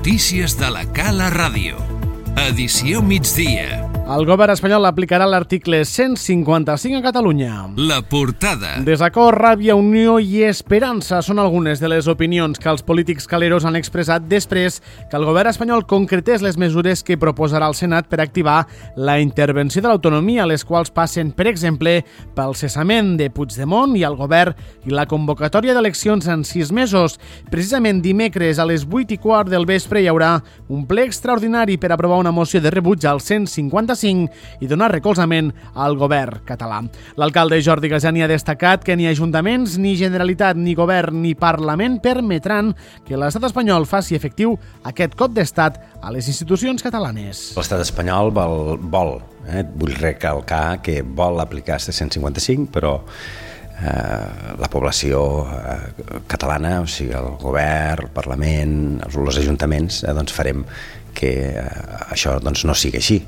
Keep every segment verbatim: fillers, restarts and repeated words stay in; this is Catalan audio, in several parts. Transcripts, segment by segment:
Notícies de la Cala Ràdio. Edició migdia. El govern espanyol aplicarà l'article cent cinquanta-cinc a Catalunya. La portada. Desacord, ràbia, unió i esperança són algunes de les opinions que els polítics caleros han expressat després que el govern espanyol concretés les mesures que proposarà el Senat per activar la intervenció de l'autonomia, les quals passen, per exemple, pel cessament de Puigdemont i el govern i la convocatòria d'eleccions en sis mesos. Precisament dimecres a les vuit i quart del vespre hi haurà un ple extraordinari per aprovar una moció de rebuig al cent cinquanta-cinc i donar recolzament al govern català. L'alcalde Jordi Gasani ha destacat que ni ajuntaments, ni Generalitat, ni govern, ni Parlament permetran que l'estat espanyol faci efectiu aquest cop d'estat a les institucions catalanes. L'estat espanyol vol, vol eh, vull recalcar que vol aplicar este cent cinquanta-cinc, però eh, la població eh, catalana, o sigui, el govern, el Parlament, els, els ajuntaments, eh, doncs farem que eh, això doncs, no sigui així.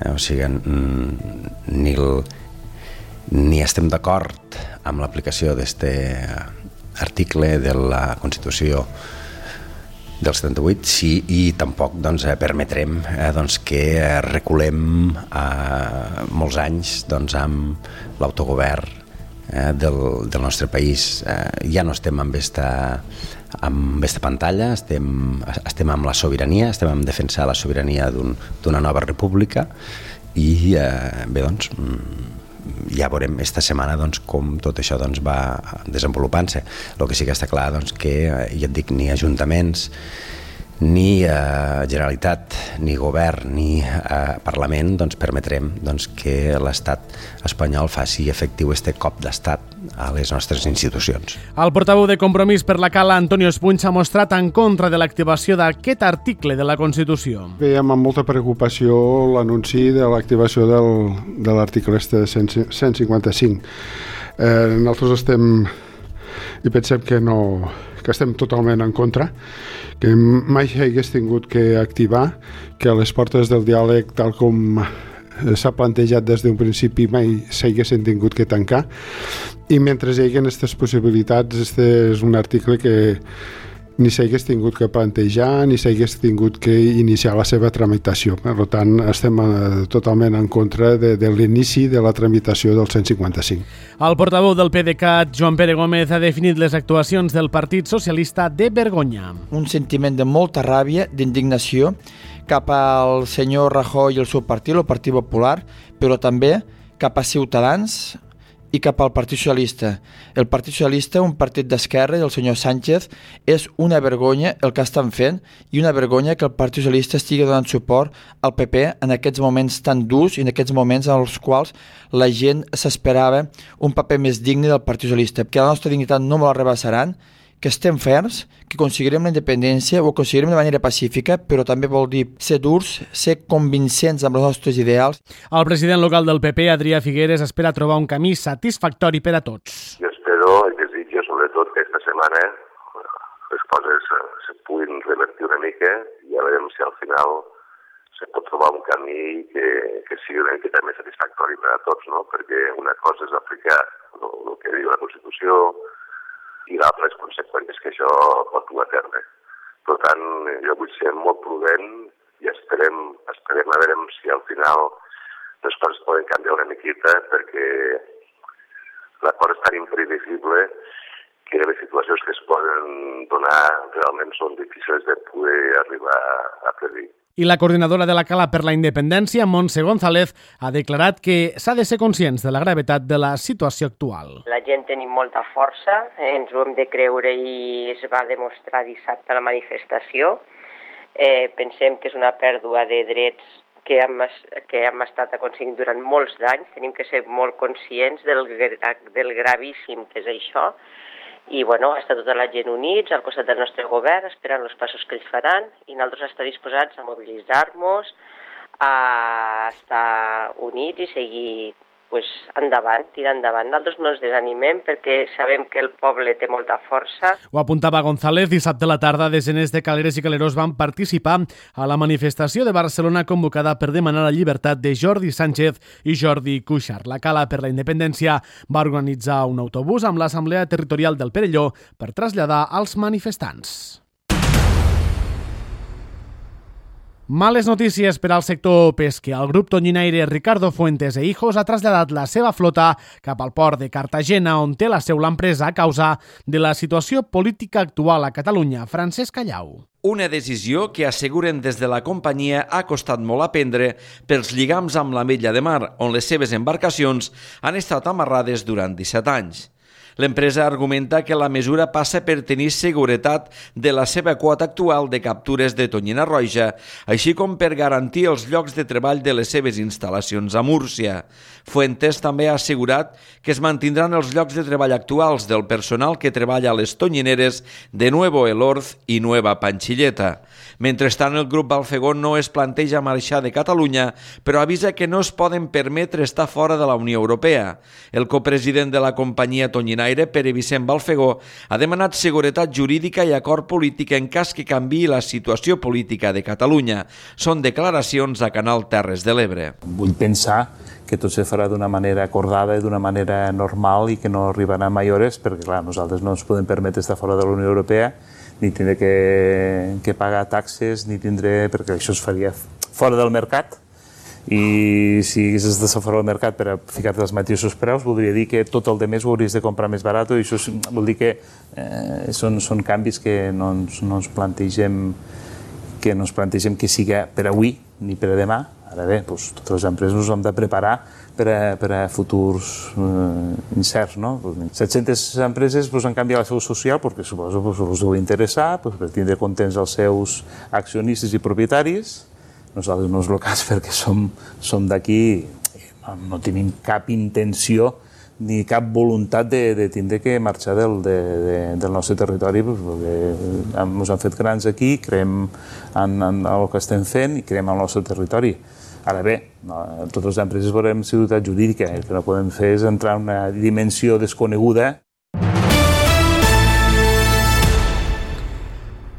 Eh, o sigui, ni, el, ni estem d'acord amb l'aplicació d'aquest article de la Constitució del setanta-vuit sí, i tampoc doncs, permetrem eh, doncs, que reculem eh, molts anys doncs, amb l'autogovern eh, del, del nostre país. Eh, ja no estem amb esta amb aquesta pantalla, estem, estem amb la sobirania, estem en defensar la sobirania d'un, d'una nova república i eh, bé, doncs, ja veurem esta setmana doncs, com tot això doncs, va desenvolupant-se. El que sí que està clar doncs, que, ja et dic, ni ajuntaments, ni eh, Generalitat, ni govern, ni eh, Parlament doncs, permetrem doncs, que l'estat espanyol faci efectiu este cop d'estat a les nostres institucions. El portaveu de Compromís per la Cala, Antonio Espuny, s'ha mostrat en contra de l'activació d'aquest article de la Constitució. Veiem amb molta preocupació l'anunci de l'activació del, de l'article este cent cinquanta-cinc. Eh, nosaltres estem i pensem que no... que estem totalment en contra, que mai s'hagués tingut que activar, que a les portes del diàleg, tal com s'ha plantejat des d'un principi, mai s'haguessin tingut que tancar, i mentre hi hagi aquestes possibilitats, este és un article que ni s'hagués tingut que plantejar, ni s'hagués tingut que iniciar la seva tramitació. Per tant, estem totalment en contra de, de l'inici de la tramitació del cent cinquanta-cinc. El portaveu del PDeCAT, Joan Pere Gómez, ha definit les actuacions del Partit Socialista de vergonya. Un sentiment de molta ràbia, d'indignació, cap al senyor Rajoy i el seu partit, el Partit Popular, però també cap a Ciutadans i cap al Partit Socialista. El Partit Socialista, un partit d'esquerra, del senyor Sánchez, és una vergonya el que estan fent i una vergonya que el Partit Socialista estigui donant suport al P P en aquests moments tan durs i en aquests moments en els quals la gent s'esperava un paper més digne del Partit Socialista, que la nostra dignitat no me la rebassaran, que estem ferms, que aconseguirem la independència, ho aconseguirem de manera pacífica, però també vol dir ser durs, ser convincents amb els nostres ideals. El president local del P P, Adrià Figueres, espera trobar un camí satisfactori per a tots. Jo espero i desitjo sobretot que aquesta setmana les coses se puguin revertir una mica i ja veurem si al final se pot trobar un camí que, que sigui una miqueta més satisfactori per a tots, no? Perquè una cosa és aplicar el, el que diu la Constitució, i l'altre les conseqüències que això pot dur a terme. Per tant, jo vull ser molt prudent i esperem, esperem a veure si al final les coses poden canviar una miqueta, perquè l'acord és tan imprevisible que les situacions que es poden donar realment són difícils de poder arribar a predir. I la coordinadora de la Cala per la Independència, Montse González, ha declarat que s'ha de ser conscients de la gravetat de la situació actual. La gent tenim molta força, eh, ens ho hem de creure i es va demostrar dissabte a la manifestació. Eh, pensem que és una pèrdua de drets que hem, que hem estat aconseguint durant molts anys. Tenim que ser molt conscients del, del gravíssim que és això. I bueno, està tota la gent units al costat del nostre govern, esperant els passos que ells faran, i nosaltres estem disposats a mobilitzar-nos, a estar units i seguir pues, endavant, tirar endavant. Nosaltres no ens desanimem perquè sabem que el poble té molta força. Ho apuntava González. Dissabte a la tarda, desenes de caleres i caleros van participar a la manifestació de Barcelona convocada per demanar la llibertat de Jordi Sánchez i Jordi Cuixart. La Cala per la Independència va organitzar un autobús amb l'Assemblea Territorial del Perelló per traslladar als manifestants. Males notícies per al sector pesquer. El grup tonyinaire Ricardo Fuentes e Hijos ha traslladat la seva flota cap al port de Cartagena, on té la seu l'empresa a causa de la situació política actual a Catalunya. Francesc Callau. Una decisió que asseguren des de la companyia ha costat molt a prendre pels lligams amb l'Ametlla de Mar, on les seves embarcacions han estat amarrades durant disset anys. L'empresa argumenta que la mesura passa per tenir seguretat de la seva quota actual de captures de tonyina roja, així com per garantir els llocs de treball de les seves instal·lacions a Múrcia. Fuentes també ha assegurat que es mantindran els llocs de treball actuals del personal que treballa a les tonyineres de Nuevo Elorz i Nueva Panchilleta. Mentrestant, el grup Balfegó no es planteja marxar de Catalunya, però avisa que no es poden permetre estar fora de la Unió Europea. El copresident de la companyia tonyinaire, Pere Vicent Balfegó, ha demanat seguretat jurídica i acord polític en cas que canviï la situació política de Catalunya. Són declaracions a Canal Terres de l'Ebre. Vull pensar que tot se farà d'una manera acordada i d'una manera normal i que no arribarà a mayores, perquè clar, nosaltres no ens podem permetre estar fora de la Unió Europea, ni tindre que, que pagar taxes, ni tindre, perquè això es faria fora del mercat, i si haguessis d'estar fora del mercat per a ficar-te els mateixos preus, voldria dir que tot el de més ho hauries de comprar més barat, i això vol dir que eh, són, són canvis que no ens, no ens plantegem que no ens plantegem que siga per avui ni per a demà. Ara bé, doncs, totes les empreses ens hem de preparar per a, per a futurs eh, incerts. No? set-centes empreses doncs, han canviat la seu social perquè suposo que doncs, us deu interessar doncs, per tindre contents els seus accionistes i propietaris. Nosaltres no és el cas perquè som, som d'aquí i no, no tenim cap intenció ni cap voluntat de, de tindre que marxar del, de, de, del nostre territori, perquè ens han fet grans aquí, creiem en, en el que estem fent i creiem en el nostre territori. Ara bé, no, totes les empreses veurem seguretat jurídica, el que no podem fer és entrar en una dimensió desconeguda.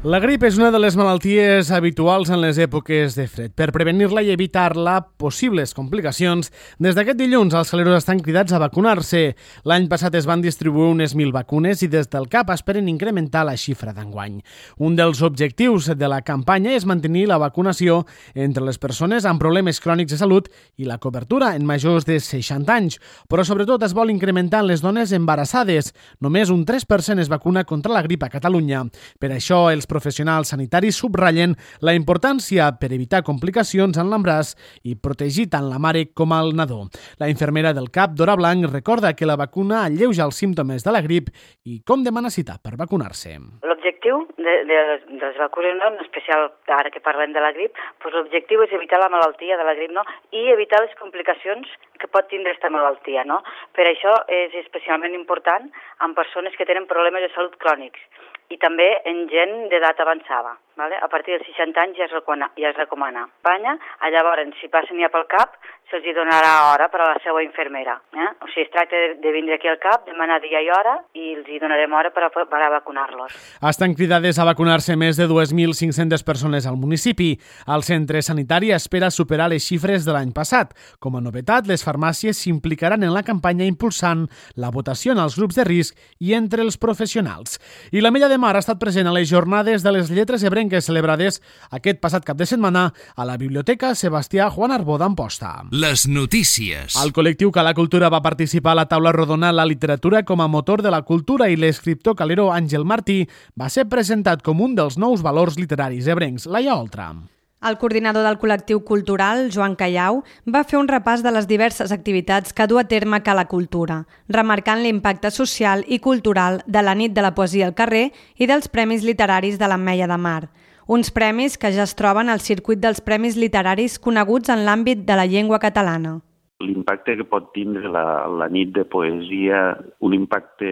La grip és una de les malalties habituals en les èpoques de fred. Per prevenir-la i evitar-la possibles complicacions, des d'aquest dilluns els caleros estan cridats a vacunar-se. L'any passat es van distribuir unes mil vacunes i des del C A P esperen incrementar la xifra d'enguany. Un dels objectius de la campanya és mantenir la vacunació entre les persones amb problemes crònics de salut i la cobertura en majors de seixanta anys, però sobretot es vol incrementar en les dones embarassades. Només un tres per cent es vacuna contra la grip a Catalunya. Per això els professionals sanitaris subratllen la importància per evitar complicacions en l'embaràs i protegir tant la mare com el nadó. La infermera del C A P, Dora Blanc, recorda que la vacuna alleuja els símptomes de la grip i com demana cita per vacunar-se. L'objectiu de, de, de les vacunes, no? En especial ara que parlem de la grip, doncs l'objectiu és evitar la malaltia de la grip, no? I evitar les complicacions que pot tindre aquesta malaltia, no? Per això és especialment important en persones que tenen problemes de salut crònics i també en gent d'edat avançada. Vale? A partir dels seixanta anys ja es recomana. Ja es recomana. Espanya, llavors, si passen ja pel C A P, se'ls donarà hora per a la seva infermera. Eh? O sigui, es tracta de, de vindre aquí al C A P, demanar dia i hora, i els hi donarem hora per a, per a vacunar-los. Estan cridades a vacunar-se més de dues mil cinc-centes persones al municipi. El centre sanitari espera superar les xifres de l'any passat. Com a novetat, les farmàcies s'implicaran en la campanya impulsant la votació en els grups de risc i entre els professionals. I l'Ametlla de Mar ha estat present a les jornades de les lletres ebrenques celebrades aquest passat cap de setmana a la Biblioteca Sebastià Juan Arbó d'Amposta. Les notícies. El col·lectiu Cala Cultura va participar a la taula rodona La literatura com a motor de la cultura i l'escriptor calero Àngel Martí va ser presentat com un dels nous valors literaris ebrencs. Laia Oltra. El coordinador del col·lectiu cultural, Joan Callau, va fer un repàs de les diverses activitats que du a terme Cala Cultura, remarcant l'impacte social i cultural de la nit de la poesia al carrer i dels Premis Literaris de l'Ametlla de Mar, uns premis que ja es troben al circuit dels premis literaris coneguts en l'àmbit de la llengua catalana. L'impacte que pot tindre la, la nit de poesia, un impacte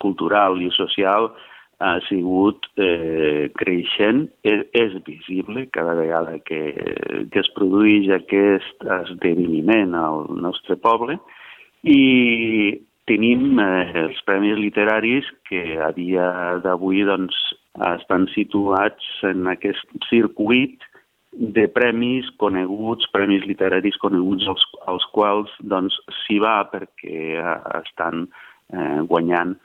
cultural i social, ha sigut eh, creixent, és, és visible cada vegada que, que es produeix aquest esdeveniment al nostre poble i tenim eh, els premis literaris que a dia d'avui doncs, estan situats en aquest circuit de premis coneguts, premis literaris coneguts als, als quals doncs, s'hi va perquè estan eh, guanyant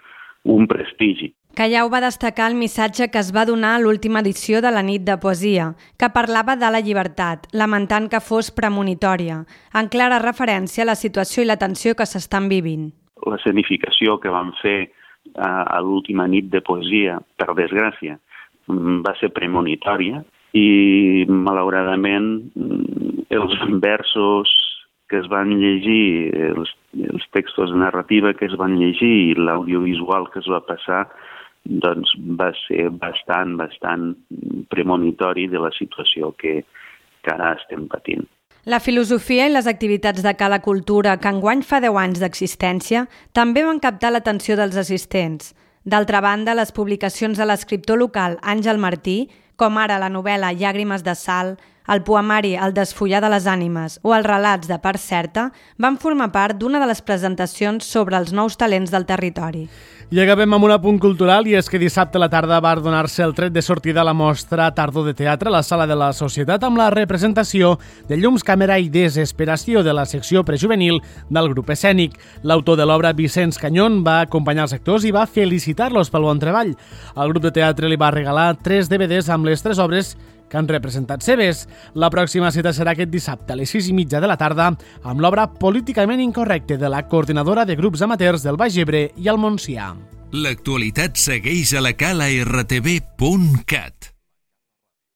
un prestigi. Callau va destacar el missatge que es va donar a l'última edició de la Nit de Poesia, que parlava de la llibertat, lamentant que fos premonitòria, en clara referència a la situació i la tensió que s'estan vivint. La escenificació que vam fer a l'última Nit de Poesia, per desgràcia, va ser premonitòria i, malauradament, els versos que es van llegir, els, els textos de narrativa que es van llegir i l'audiovisual que es va passar, doncs va ser bastant, bastant premonitori de la situació que, que ara estem patint. La filosofia i les activitats de Cala Cultura, que enguany fa deu anys d'existència, també van captar l'atenció dels assistents. D'altra banda, les publicacions de l'escriptor local Àngel Martí, com ara la novel·la Llàgrimes de sal, el poemari El desfollar de les ànimes o els relats de Part Certa, van formar part d'una de les presentacions sobre els nous talents del territori. I acabem amb un apunt cultural, i és que dissabte a la tarda va donar-se el tret de sortida a la mostra Tardor de Teatre a la Sala de la Societat amb la representació de Llums, Càmera i Desesperació de la secció prejuvenil del grup escènic. L'autor de l'obra, Vicenç Canyón, va acompanyar els actors i va felicitar-los pel bon treball. El grup de teatre li va regalar tres D V Ds amb les tres obres que han representat seves. La pròxima cita serà aquest dissabte a les sis i mitja de la tarda amb l'obra Políticament incorrecte de la coordinadora de grups amateurs del Baix Ebre i el Montsià. L'actualitat segueix a la cala r t v punt cat.